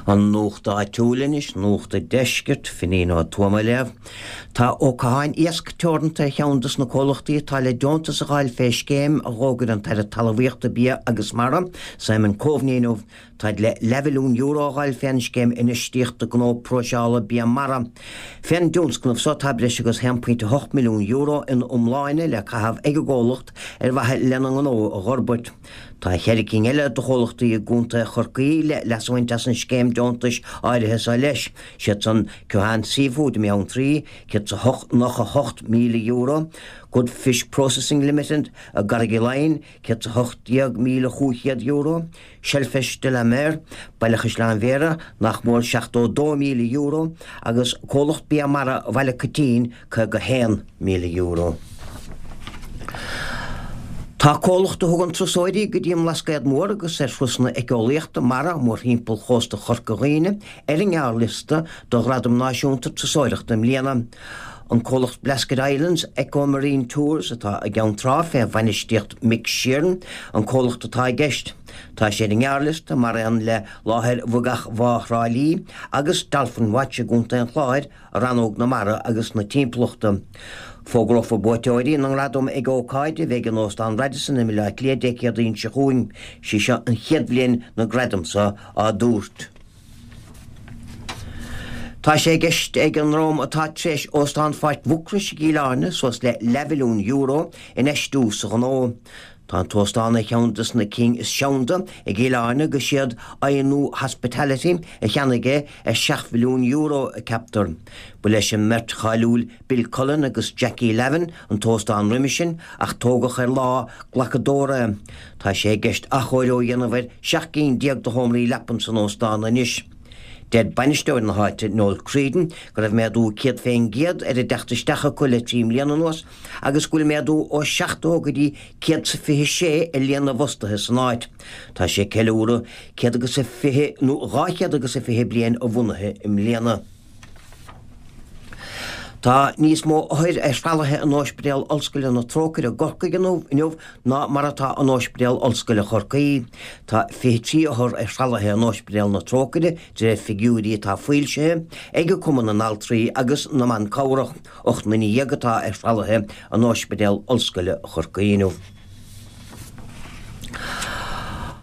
An nuacht áitiúil anois, Nuacht an Deiscirt, Finín Ó Tuama á léamh. Tá Ó Catháin Iasc Teoranta ar cheann dos na comhlachtaí atá le deontas a dh'fháil fé scéim a dh'fhógair an tAire Talmhaíochta, Bia agus Mara, Simon Coveney inniu. Táid le leathmhilliún euro a dh'fháil fén scéim Infheistíochta Gnó Próiseála Bia Mara. Fén dtionscnamh so tá breis agus €1.8 milliún ina iomláine le caitheamh ag an gcomhlacht ar mhaithe lena ngnó a dh'fhorbairt. Tá cheithre cinn eile de chomhlachtaí i gContae Chorcaí le leas a bhaint as an scéim deontais áirithe so leis, siad san Keohane Seafood i mBeanntraí, €198,000, Good Fish Processing Limited i gCarraig Laighin, €118,500, Shellfish de la Mer, Baile Chaisleáin Bhéarra, nach mór €72,000, agus Comhlacht Bia Mara Bhaile Coitín, €51,000. Tá comhlacht a thugann turasóirí go dtí an mBlascaod Mór agus ar thurasanna éiceolaíochta mara mórthimpeall chósta Chorca Dhuibhne ar an ngearrliosta do Ghradam Náisiúnta Turasóireachta i mbliana. An comhlacht Blasket Islands Eco Marine Tours atá i gCeann Trá fé bhainistíocht Mick Sheeran an comhlacht atá i gceist. Tá sé ar an ngearrliosta mar aon le láthair Bhogach Bhá Thrá Lí agus Dolphin Watch i gContae an Chláir, Rannóg na Mara agus na Timpeallachta. Fógrófar buaiteoirí na ngradam ag ócáid a bheidh in Óstán Radisson i mBaile Átha Cliath Dé Céadaoin seo chugainn. Sí seo an chéad bhliain na gradaim seo á dtabhairt. Tá sé i gceist ag an ndream atá tar éis Óstán Pháirc Mhucrois i gCill Airne suas le leathmhilliún euro infheistiú sa ghnó. Tá an t-óstán ar cheann des na cinn is seanda i gCill Airne agus siad Ainu Hospitality a cheannaigh é ar €7 mhilliún, ceaptar. Ba leis an mbeirt cháiliúil Bill Cullen agus Jackie Lavin an t-óstán roimhe sin ach tógadh ar lá glacadóra é. Tá sé i gceist athchóiriú a dhéanamh ar 17 gcinn de sheomraí leapan san óstán anois. Deir bainisteoir na háite, Noel Creedon, go raibh méadú 100% ar an dteacht isteach acu le 3 mbliana anuas agus go bhfuil méadú ó 70 go dtí 126 ar líon na bhfostaithe san áit. Tá sé ag ceiliúradh 120 nó 220 bliain a bhunaithe i mbliana. Tá níos mó othair ar thralaithe in Ospidéal Ollscoile na Trócaire i gCorcaigh inniu ná mar atá in Ospidéal Ollscoile Chorcaí. Tá 23 othar ar thralaithe in Ospidéal na Trócaire de réir figiúirí atá foilsithe ag Cumann na nAltraí agus na mBan Cabhrach. 18 nduine atá ar thralaithe in Ospidéal Ollscoile Chorcaí inniu.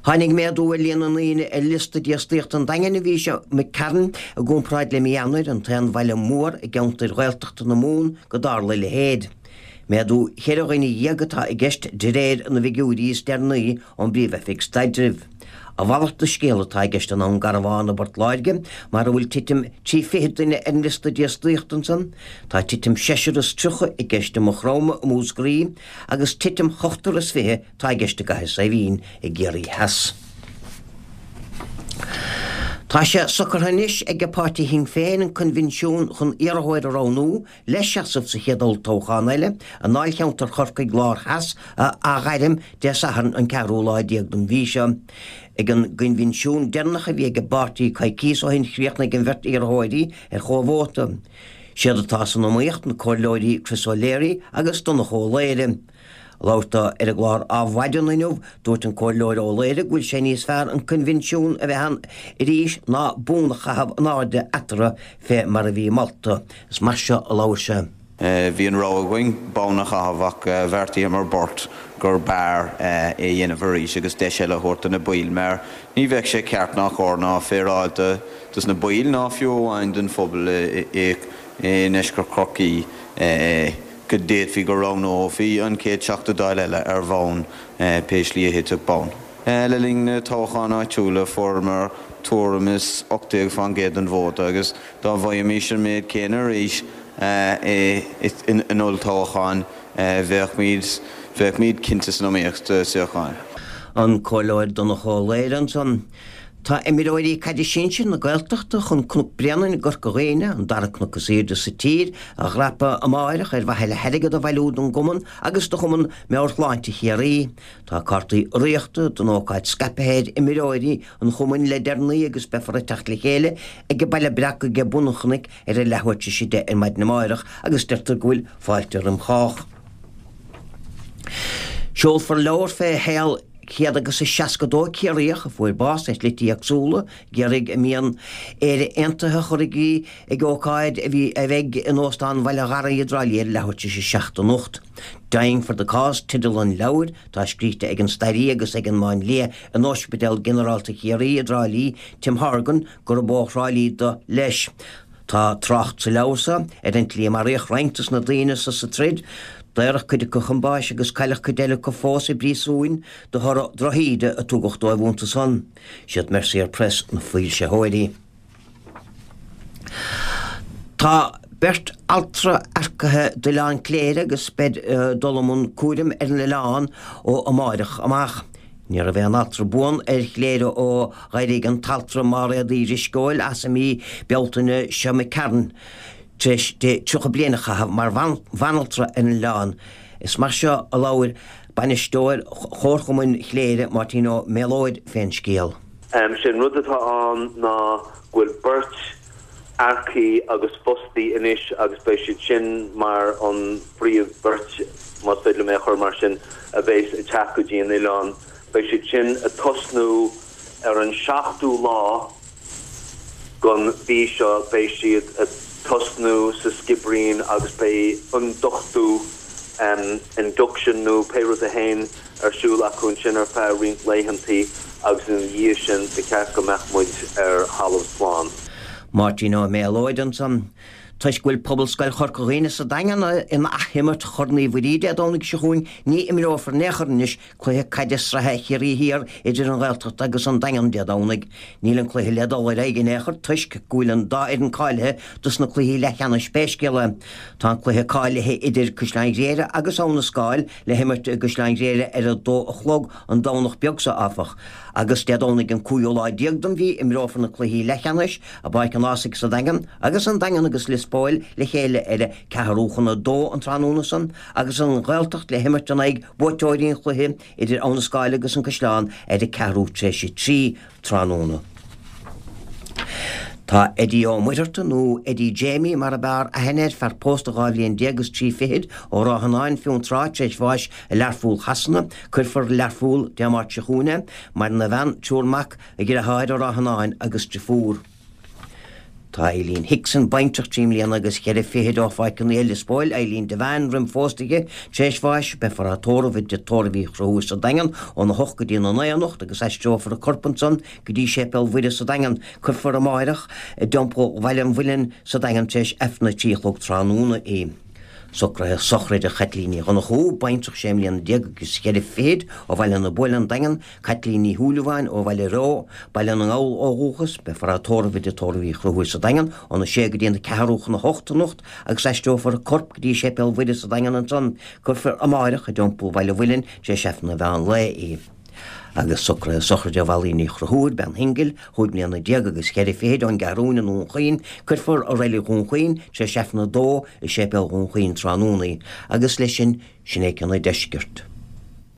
Tháinig méadú ar líon na ndaoine ar liosta dífhostaíochta an Daingin an mhí seo imigh tharainn i gcomparáid le mí Eanáir, an t-aon bhaile mór i gceantair Ghaeltachta na Mumhan go dtarla a leithéid. Méadú cheithre dhuine dhéag atá i gceist de réir na bhfigiúirí is deireanaí ón bPríomh-Oifig Staidrimh. A mhalairt de scéal atá i gceist i nDún Garbhán i bPort Láirge, mar a bhfuil titim 23 duine ar an liosta dífhostaíochta ansan. Tá titim seisear is 30 i gceist i Maigh Chromtha i Múscraí agus titim ochtar is 20 atá i gceist i gCathair Saidhbhín i gCiarraí Theas. Tá sé socraithe anois ag páirtí Shinn Féin an coinbhinsiún chun iarrthóir a roghnú le seasamh sa chéad olltoghchán eile i ndáilcheantar Chorcaigh Lár Theas a athghairm Dé Sathairn an ceathrú lá déag den mhí seo. Ag an gcoinbhinsiún deireanach a bhí ag an bpáirtí coicíos ó shin chríochnaigh an bheirt iarrthóirí ar chomhvóta. Siad atá san iomaíocht na Comhairleoirí Chris O'Leary agus Donncha Ó Laoghaire. Ag labhairt dó ar an gclár Adhmhaidin inniu, dúirt an Comhairleoir Ó Laoghaire go bhfuil sé níos fearr an coinbhinsiún a bheith ann arís ná bonn a chaitheamh in airde eatarthu fé mar a bhí molta. Is mar seo a labhair sé. Bhí an rogha againn bonn a chaitheamh ach bheartaíomar beirt gur b'fhearr é a dhéanamh arís agus deis eile a thabhairt do na baill mar ní bheadh sé ceart ná cóir ná féaráilte dos na baill ná fiú amháin don phobal i ndeisceart Chorcaí go d'fhéadfaí go roghnófaí an chéad Teachta Dála eile ar bhonn pé slí a thitfeadh bonn. Le linn na toghcháin áitiúla fuaireamar tuairim is 18% den vóta agus dá bhfaighimís an méid céanna arís in olltoghchán bheadh cinnte san iomaíocht do suíochán. An Comhairleoir Donncha Ó Laoghaire ansan. Tá imreoirí caide sinsir na Gaeltachta chun Cnoc Bréanainn i gCorca Dhuibhne, an dara cnoc is aoirde sa tír, a dhreapadh amáireach ar mhaithe le hairgead a bhailiú don gcumann agus do Chumann Meabhairshláinte Chiarraí. Tá cártaí urraíochta don ócáid scaipthe ar imreoirí an chumainn le deireanaí agus beifear ag teacht le chéile ag an Baile Breac ag bun an chnoic ar a leathuair tar éis a 10 ar maidin amáireach agus deirtear go bhfuil fáilte roim chách. Seolfar leabhar fé shaol. 162 Ciarraíoch a fuair bás ar shlite éagsúla ag iarraidh a mian Éire Aontaithe a chur i gcrích ag ócáid a bhí a bheidh in Óstán Bhaile Gharraí i dTrá Lí ar leathuair tar éis a 7 anocht. Dying for the Cause teideal an leabhair atá scríte ag an stairí agus ag an máinlia in Ospidéal Ginearálta Chiarraí i dTrá Lí, Tim Horgan, gurb ó Thrá Lí do leis. Tá trácht sa leabhar so ar an tslí a maraíodh roinnt dos na daoine so sa troid, daoradh cuid acu chun báis agus cailleadh cuid eile acu fós i bpríosúin de thoradh drochíde a tugadh dóibh iontu san. Siad Mercier Press na foilsitheoirí. Tá beirt altra earcaithe d'Oileán Cléire agus beid ag dul i mbun cúraim ar an oileán ó amáireach amach. Ní raibh aon altra buan ar Chléire ó dh'éirigh an t-altra Máiréad Uí Drisceoil as i mí Bealtaine seo imigh tharainn, tar éis di 30 bliain a chaitheamh mar bhanaltra ar an oileán. Is mar seo a labhair bainisteoir Chomharchumann Chléire, Máirtín Ó Méalóid, fén scéal. Sé an rud atá ann ná go bhfuil beirt earcaithe agus fostaithe anois agus beidh siad sin mar an phríomh bheirt, más féidir liom é a chur mar sin, a bheas ag teacht go dtí an oileán. Beidh siad sin ag tosnú ar an seachtú lá gon mhí seo, beidh siad ag tosnú sa Sciobairín agus beidh ionduchtú, induction nó pé rud é féin, ar siúl acu ansin ar feadh roinnt laethantaí agus ina dhiaidh sin ba cheart go mbeadh muid ar thalamh slán. Máirtín Ó Méalóid ansan. Toisc go bhfuil Pobalscoil Chorca Dhuibhne sa Daingean in athimirt Chorn Uí Mhuirí Dé Domhnaigh seo chugainn ní imreofar in aon chor anois cluiche caide sraithe Chiarraí Thiar idir an Ghaeltacht agus an Daingean Dé Domhnaigh. Níl an cluiche le dul ar aghaidh in aon chor toisc go bhfuil an dá fhoireann cáilithe dos na cluichí leathcheannais pé scéal é. Tá an cluiche cáilithe idir Caisleán Ghriaire agus Abha na Scáil le himirt i gCaisleán Ghriaire ar a dó a chlog an Domhnach beag seo, áfach, agus Dé Domhnaigh an cúigiú lá déag den mhí imreofar na cluichí leathcheannais i bPáirc an Ághasaigh sa Daingean agus an Daingean agus Lios Póil le chéile ar a ceathrú chun a dó an tráthnóna san agus an Ghaeltacht le himirt in aghaidh buaiteoirí an chluiche idir Abha na Scáil agus an Caisleán ar a ceathrú tar éis a 3 tráthnóna. Tá Eddie Ó Muircheartaigh, nó Eddie Jamie mar ab fhearr aithne air, fear pósta 12 bhliain agus 3 fichid ó Ráth Fhionáin, Fionntrá, tar éis bháis i Learpholl Shasana. Cuirfear i Learpholl Dé Máirt seo chugainn é. Maireann a bhean, triúr mac, a dheartháir i Ráth Fhionáin agus driofúr. Tá Eileen Hickson, baintreach 3 mbliana agus cheithre fichid ó Pháirc an Fhia, Lios Póil, Eileen Devane, roim phósta di, tar éis bháis, beifear á tórramh i dTigh Tórraimh Uí Chonchúir sa Daingean óna hocht go dtí na naoi anocht agus aistreofar a corp ansan go dtí Séipéal Mhuire sa Daingean. Cuirfear amáireach i dTeampall Bhaile an Mhuilinn sa Daingean tar éis Aifreann a 3 a chlog tráthnóna í. Socruithe sochraide Chaitlín Ní Dhonnchú, baintreach sé mbliana déag agus cheithre fichid ó Bhaile na Buaile, An Daingean, Caitlín Ní Shúilleabháin ó Bhaile Reo, Baile na nGall ó dhúchas, beifear á tórramh i dTigh Tórraimh Uí Chonchúir sa Daingean óna sé go dtí an ceathrú chun a hocht anocht agus aistreofar a corp go dtí Séipéal Mhuire sa Daingean ansan. Cuirfear amáireach i dTeampall Bhaile an Mhuilinn tar éis Aifreann an mheán lae í. Agus socruithe sochraide Mholly Ní Chonchúir, bean shingil, chúig mbliana déag agus cheithre fichid ón gCeathrúin i nDún Chaoin, cuirfear i Reilig Dhún Chaoin tar éis Aifreann a dó i Séipéal Dhún Chaoin tráthnóna í. Agus leis sin, sin é cionn an deiscirt.